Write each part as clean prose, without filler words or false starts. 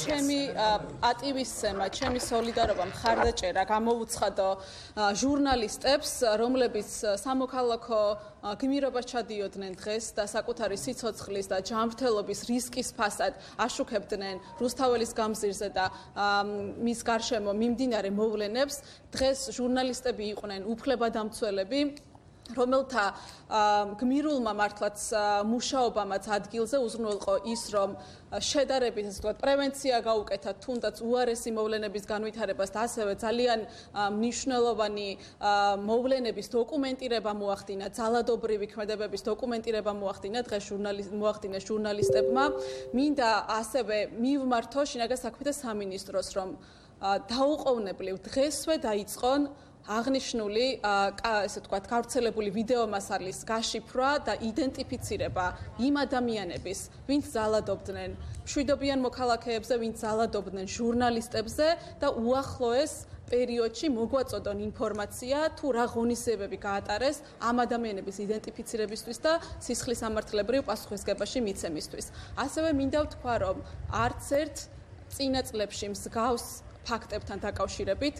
ჩემი პატივისცემა, ჩემი სოლიდარობა მხარდაჭერა გამოუცხადო ჟურნალისტებს, რომლებიც სამოქალაქო გმირობას ჩადიოდნენ დღეს და საკუთარი სიცოცხლის და ჯანმრთელობის რისკის ფასად აშუქებდნენ რუსთაველის გამზირზე და მის გარშემო მიმდინარე მოვლენებს. დღეს ჟურნალისტები იყვნენ უფლებადამცველები, რომელთა გმირულმა მართლაც მუშაობამაც ადგილზე უზრუნველყო ის, რომ შედარებით ასე ვთქვათ, პრევენცია გაუკეთათ თუნდაც უარესი მოვლენების განვითარებას და ასევე ძალიან მნიშვნელოვანი მოვლენების დოკუმენტირება მოახდინა, ძალადობრივი ქმედებების დოკუმენტირება მოახდინა დღეს ჟურნალისტებმა. მინდა ასევე მივმართო შინაგან საქმეთა სამინისტროს, რომ დაუყოვნებლივ დღესვე დაიწყონ აღნიშნული ესე ვთქვათ, გავრცელებული ვიდეომასალის გაშიფრვა და იდენტიფიცირება იმ ადამიანების, ვინც ძალადობდნენ მშვიდობიან მოქალაქეებზე, ვინც ძალადობდნენ ჟურნალისტებზე და უახლოეს პერიოდში მოგვაწოდონ ინფორმაცია, თუ რა ღონისძიებები გაატარეს ამ ადამიანების იდენტიფიცირებისთვის და სისხლისამართლებრივ პასუხისგებაში მიცემისთვის. ასევე მინდა ვთქვა, რომ არც ერთ წინა წლებში მსგავს ფაქტებთან დაკავშირებით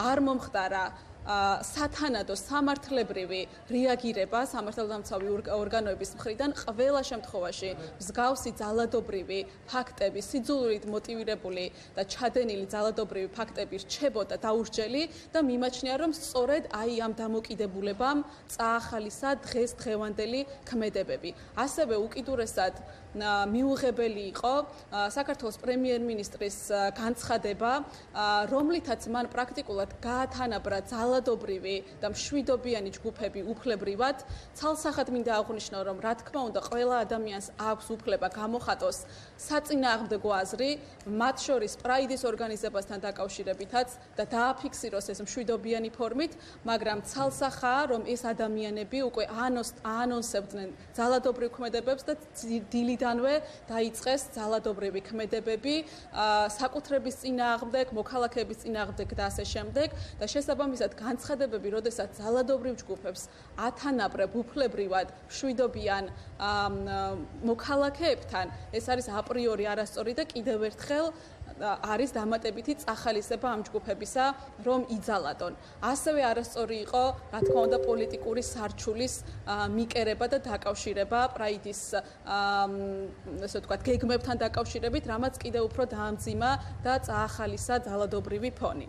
არ მომხდარა სათანადო სამართლებრივი რეაგირება სამართალდამცავი ორგანოების მხრიდან ყველა შემთხვევაში მსგავსი ძალადობრივი ფაქტები, სიძულვით მოტივირებული და ჩადენილი ძალადობრივი ფაქტები რჩებოდა დაურსჯელი და მიმაჩნია, რომ სწორედ აი ამ დამოკიდებულებამ წაახალისა დღევანდელი ქმედებები. ასევე უკიდურესად მიუღებელი იყო საქართველოს პრემიერ-მინისტრის განცხადება, რომლითაც მან პრაქტიკულად გაათანაბრა ძალადობრივი და მშვიდობიანი ჯგუფები უფლებრივად. ცალსახად მინდა აღვნიშნო, რომ რა თქმა უნდა ყველა ადამიანს აქვს უფლება გამოხატოს საწინააღმდეგო აზრი, მათ შორის პრაიდის ორგანიზებასთან დაკავშირებითაც და დააფიქსიროს ეს მშვიდობიანი ფორმით, მაგრამ ცალსახაა, რომ ეს ადამიანები უკვე აანონსებდნენ ძალადობრივ ქმედებებს და დილიდანვე დაიწყეს ძალადობრივი ქმედებები საკუთრების წინააღმდეგ, მოქალაქეების წინააღმდეგ და ასე შემდეგ და შესაბამისად განცხადებები, როდესაც ძალადობრივ ჯგუფებს ათანაბრებ უფლებრივად მშვიდობიან მოქალაქეებთან, ეს არის აპრიორი არასწორი და კიდევ ერთხელ არის დამატებითი წახალისება ამ ჯგუფებისა, რომ იძალადონ. ასევე არასწორი იყო, რა თქმა უნდა, პოლიტიკური სარჩულის მიკერება და დაკავშირება პრაიდის ესე ვთქვათ, გეგმებთან დაკავშირებით, რამაც კიდევ უფრო დაამძიმა და წაახალისა ძალადობრივი ფონი.